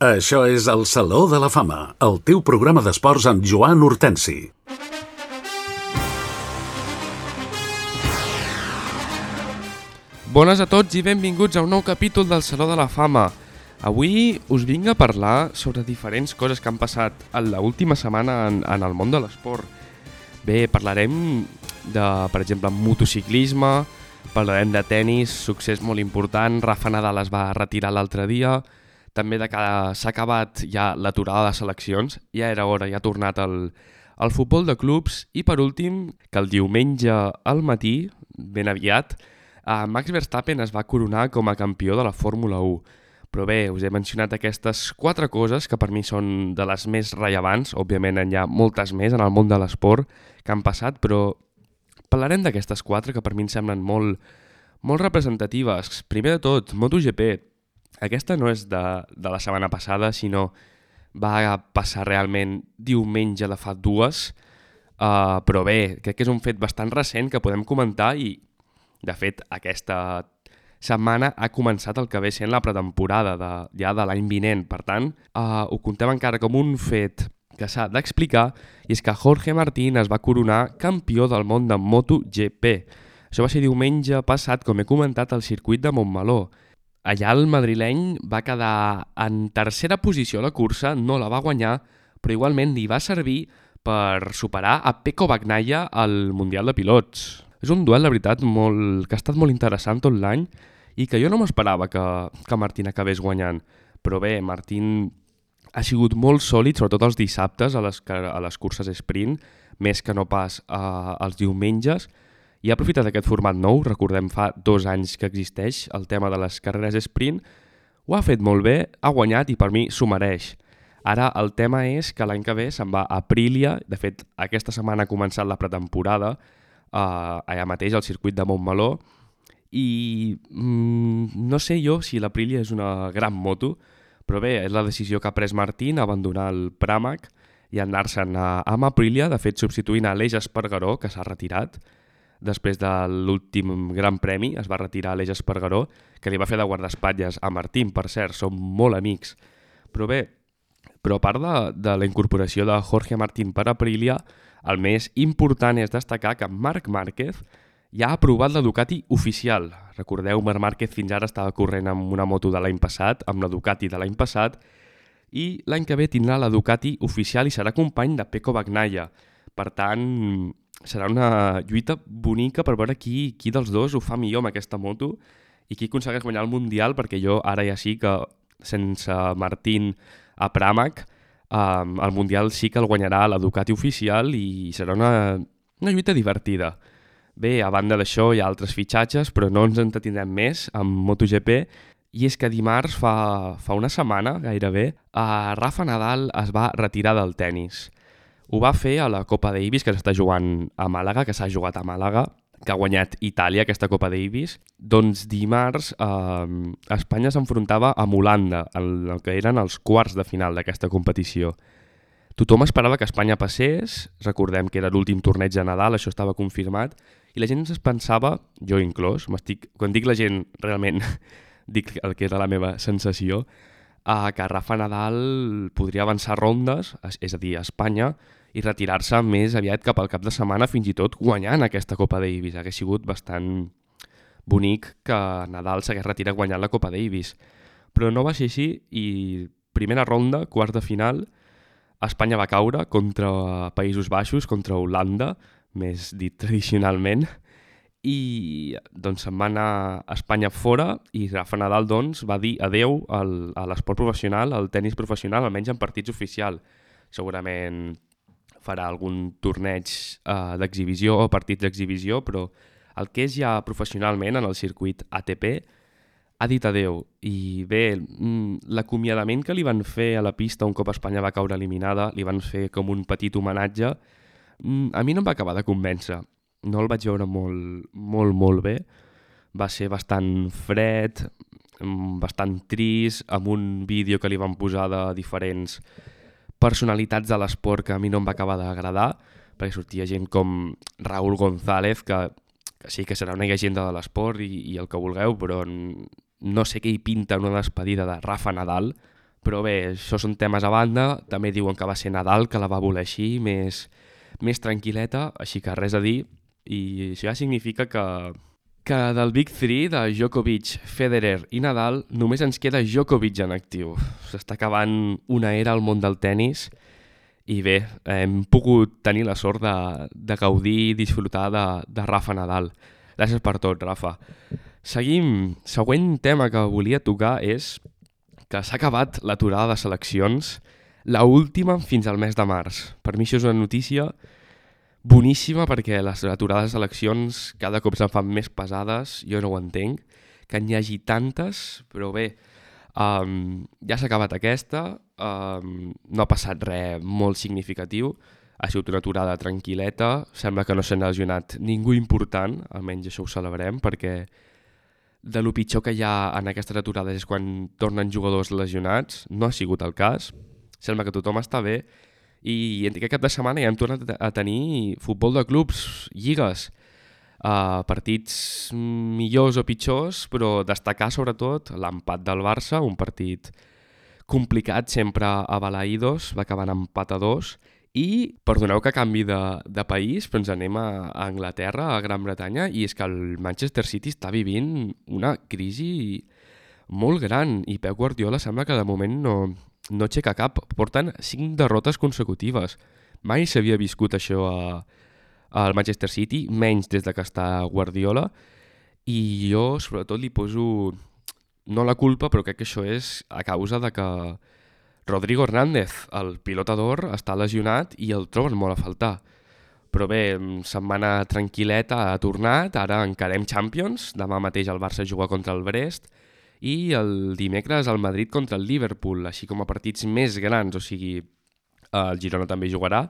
Això és el Saló de la Fama, el teu programa d'esports amb Joan Hortensi. Bones a tots i benvinguts a un nou capítol del Saló de la Fama. Avui us vinc a parlar sobre diferents coses que han passat en l'última setmana en el món de l'esport. Bé, parlarem de, per exemple, motociclisme, parlarem de tennis, succés molt important, Rafa Nadal es va retirar l'altre dia, també de que s'ha acabat ja l'aturada de seleccions, ja era hora, ja ha tornat el futbol de clubs, i per últim, que el diumenge al matí, ben aviat, Max Verstappen es va coronar com a campió de la Fórmula 1. Però bé, us he mencionat aquestes 4 coses que per mi són de les més rellevants. Òbviament hi ha moltes més en el món de l'esport que han passat, però parlarem d'aquestes 4 que per mi em semblen molt representatives. Primer de tot, MotoGP. Aquesta no és de la setmana passada, sinó va passar realment diumenge de fa 2. Però bé, crec que és un fet bastant recent que podem comentar i, de fet, aquesta setmana ha començat el que ve sent la pretemporada ja de l'any vinent. Per tant, ho contem encara com un fet que s'ha d'explicar, i és que Jorge Martín es va coronar campió del món de MotoGP. Això va ser diumenge passat, com he comentat, al circuit de Montmeló. Allà el madrileny va quedar en tercera posició a la cursa, no la va guanyar, però igualment li va servir per superar a Pecco Bagnaia al Mundial de Pilots. És un duel, la veritat, que ha estat molt interessant tot l'any i que jo no m'esperava que Martín acabés guanyant. Però bé, Martín ha sigut molt sòlid, sobretot els dissabtes a les curses sprint, més que no pas els diumenges, i ha aprofitat aquest format nou. Recordem, fa 2 anys que existeix el tema de les carreres sprint. Ho ha fet molt bé, ha guanyat i per mi s'ho mereix. Ara el tema és que l'any que ve se'n va a Aprilia. De fet, aquesta setmana ha començat la pretemporada allà mateix al circuit de Montmeló, i no sé jo si l'Aprilia és una gran moto, però bé, és la decisió que ha pres Martín, abandonar el Pramac i anar-se'n amb Aprilia, de fet substituint a Aleix Espargaró, que s'ha retirat després de l'últim gran premi. Es va retirar Aleix Espargaró, que li va fer de guardaespatlles a Martín, per cert, són molt amics. Però bé, a part de la incorporació de Jorge Martín per Aprilia, el més important és destacar que Marc Márquez ja ha aprovat la Ducati oficial. Recordeu, Marc Márquez fins ara estava corrent amb una moto de l'any passat, amb la Ducati de l'any passat, i l'any que ve tindrà la Ducati oficial i serà company de Pecco Bagnaia. Per tant, serà una lluita bonica per veure qui dels dos ho fa millor amb aquesta moto i qui aconsegueix guanyar el Mundial, perquè jo ara ja sí que sense Martín a Pramac, el Mundial sí que el guanyarà la Ducati oficial i serà una lluita divertida. Bé, a banda d'això hi ha altres fitxatges, però no ens entretindrem més amb MotoGP, i és que dimarts, fa una setmana gairebé, Rafa Nadal es va retirar del tennis. Ho va fer a la Copa Davis, que s'està jugant a Màlaga, que s'ha jugat a Màlaga, que ha guanyat Itàlia aquesta Copa Davis. Doncs dimarts Espanya s'enfrontava amb Holanda, en el que eren els quarts de final d'aquesta competició. Tothom esperava que Espanya passés, recordem que era l'últim torneig de Nadal, això estava confirmat, i la gent es pensava, jo inclòs, quan dic la gent realment dic el que era la meva sensació, que Rafa Nadal podria avançar rondes, és a dir, a Espanya, i retirar-se més aviat cap al cap de setmana, fins i tot guanyant aquesta Copa Davis. Hauria sigut bastant bonic que Nadal s'hagués retirat guanyant la Copa Davis. Però no va ser així i primera ronda, quarts de final, Espanya va caure contra Països Baixos, contra Holanda, més dit tradicionalment, i doncs se'n va anar a Espanya fora i Rafa Nadal doncs va dir adeu a l'esport professional, al tennis professional, almenys en partits oficials. Segurament farà algun torneig d'exhibició o partits d'exhibició, però el que és ja professionalment en el circuit ATP ha dit adeu. I bé, l'acomiadament que li van fer a la pista un cop Espanya va caure eliminada, li van fer com un petit homenatge, a mi no em va acabar de convèncer. No el vaig veure molt bé. Va ser bastant fred, bastant trist, amb un vídeo que li van posar de diferents personalitats de l'esport que a mi no em va acabar d'agradar, perquè sortia gent com Raúl González, que sí que serà una llegenda de l'esport i el que vulgueu, però no sé què hi pinta una despedida de Rafa Nadal, Però bé, això són temes a banda. També diuen que va ser Nadal, que la va voler així, més tranquil·leta, així que res a dir. I això ja significa que del Big 3 de Djokovic, Federer i Nadal només ens queda Djokovic en actiu. S'està acabant una era al món del tennis i bé, hem pogut tenir la sort de gaudir i disfrutar de Rafa Nadal. Gràcies per tot, Rafa. Seguim. Següent tema que volia tocar és que s'ha acabat l'aturada de seleccions, la última fins al mes de març. Per mi això és una notícia boníssima perquè les aturades de seleccions cada cop se'n fan més pesades, jo no ho entenc, que n'hi hagi tantes, però bé, ja s'ha acabat aquesta, no ha passat res molt significatiu, ha sigut una aturada tranquil·leta, sembla que no s'ha lesionat ningú important, almenys això ho celebrem, perquè de lo pitjor que hi ha en aquestes aturades és quan tornen jugadors lesionats, no ha sigut el cas, sembla que tothom està bé, i aquest cap de setmana ja hem tornat a tenir futbol de clubs, lligues, partits millors o pitjors, però destacar sobretot l'empat del Barça, un partit complicat sempre a Balaïdos, va acabar en empat a 2, i perdoneu que canvi de país, però ens anem a Anglaterra, a Gran Bretanya, i és que el Manchester City està vivint una crisi molt gran i Pep Guardiola sembla que de moment no aixeca cap. Porten 5 derrotes consecutives. Mai s'havia viscut això al Manchester City, menys des de que està Guardiola, i jo sobretot li poso no la culpa, però crec que això és a causa de que Rodrigo Hernández, el pilota d'or, està lesionat i el troben molt a faltar. Però bé, setmana tranquil·leta ha tornat, ara encarem Champions, demà mateix el Barça juga contra el Brest i el dimecres el Madrid contra el Liverpool, així com a partits més grans, o sigui, el Girona també jugarà,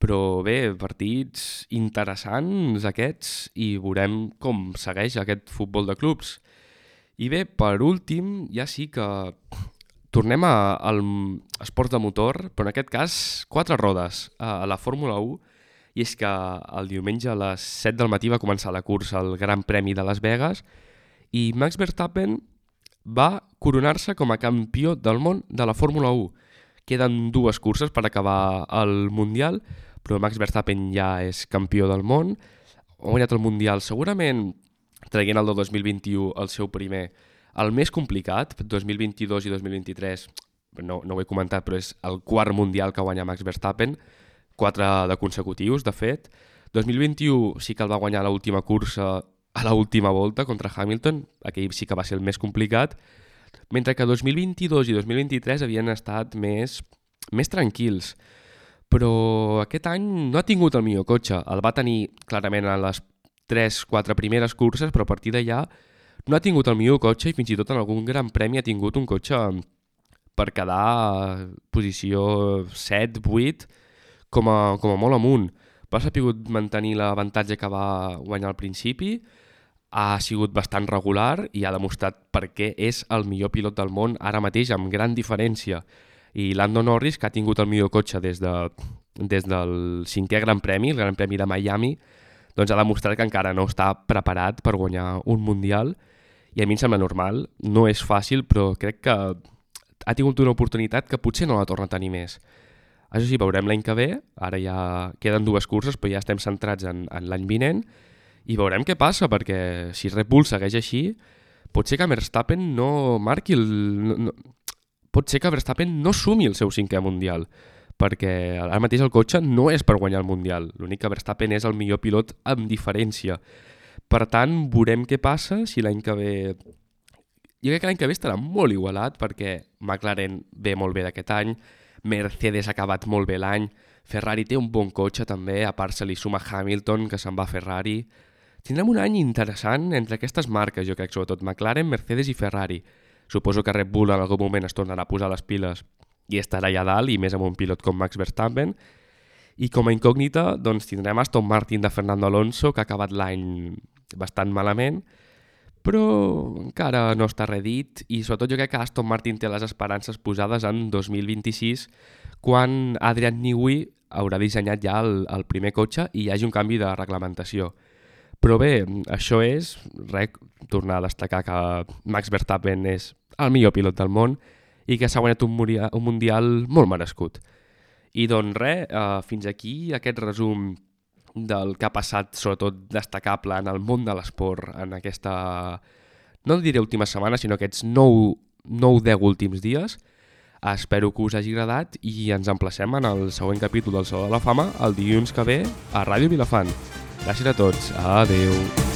però bé, partits interessants aquests i veurem com segueix aquest futbol de clubs. I bé, per últim, ja sí que tornem al esport de motor, però en aquest cas 4 rodes a la Fórmula 1, i és que el diumenge a les 7 del matí va començar la cursa al Gran Premi de Las Vegas i Max Verstappen va coronar-se com a campió del món de la Fórmula 1. Queden 2 curses per acabar el Mundial, però Max Verstappen ja és campió del món, ha guanyat el Mundial segurament traient el del 2021 el seu primer. El més complicat, 2022 i 2023, no ho he comentat, però és el 4 Mundial que guanya Max Verstappen, 4 de consecutius, de fet. 2021 sí que el va guanyar a l'última cursa, a l'última volta contra Hamilton, aquell sí que va ser el més complicat, mentre que 2022 i 2023 havien estat més tranquils. Però aquest any no ha tingut el millor cotxe, el va tenir clarament a les 3-4 primeres curses, però a partir d'allà no ha tingut el millor cotxe i fins i tot en algun gran premi ha tingut un cotxe per quedar a posició 7-8 com a molt amunt. Va sapigut mantenir l'avantatge que va guanyar al principi, ha sigut bastant regular i ha demostrat per què és el millor pilot del món ara mateix amb gran diferència. I Lando Norris, que ha tingut el millor cotxe des del 5è Gran Premi, el Gran Premi de Miami, doncs ha demostrat que encara no està preparat per guanyar un Mundial i a mi em sembla normal, no és fàcil, però crec que ha tingut una oportunitat que potser no la torna a tenir més. Això sí, veurem l'any que ve, ara ja queden 2 curses, però ja estem centrats en l'any vinent i veurem què passa, perquè si Red Bull segueix així, pot ser que Verstappen no marqui pot ser que Verstappen no sumi el seu 5è Mundial, perquè ara mateix el cotxe no és per guanyar el Mundial, l'únic que Verstappen és el millor pilot amb diferència. Per tant, veurem què passa si l'any que ve... Jo crec que l'any que ve estarà molt igualat perquè McLaren ve molt bé d'aquest any, Mercedes ha acabat molt bé l'any, Ferrari té un bon cotxe també, a part se li suma Hamilton, que se'n va a Ferrari. Tindrem un any interessant entre aquestes marques, jo crec, sobretot McLaren, Mercedes i Ferrari. Suposo que Red Bull en algun moment es tornarà a posar les piles i estarà allà dalt, i més amb un pilot com Max Verstappen. I com a incògnita doncs, tindrem Aston Martin de Fernando Alonso, que ha acabat l'any bastant malament, però encara no està redit, i sobretot jo crec que Aston Martin té les esperances posades en 2026, quan Adrian Newey haurà dissenyat ja el primer cotxe i hi hagi un canvi de reglamentació. Però bé, això tornar a destacar que Max Verstappen és el millor pilot del món i que s'ha guanyat un mundial molt merescut. I doncs res, fins aquí aquest resum del que ha passat, sobretot destacable en el món de l'esport en aquesta, no diré última setmana, sinó aquests 9-10 últims dies. Espero que us hagi agradat i ens emplacem en el següent capítol del Saló de la Fama el dilluns que ve a Ràdio Vilafant. Gràcies a tots. Adeu.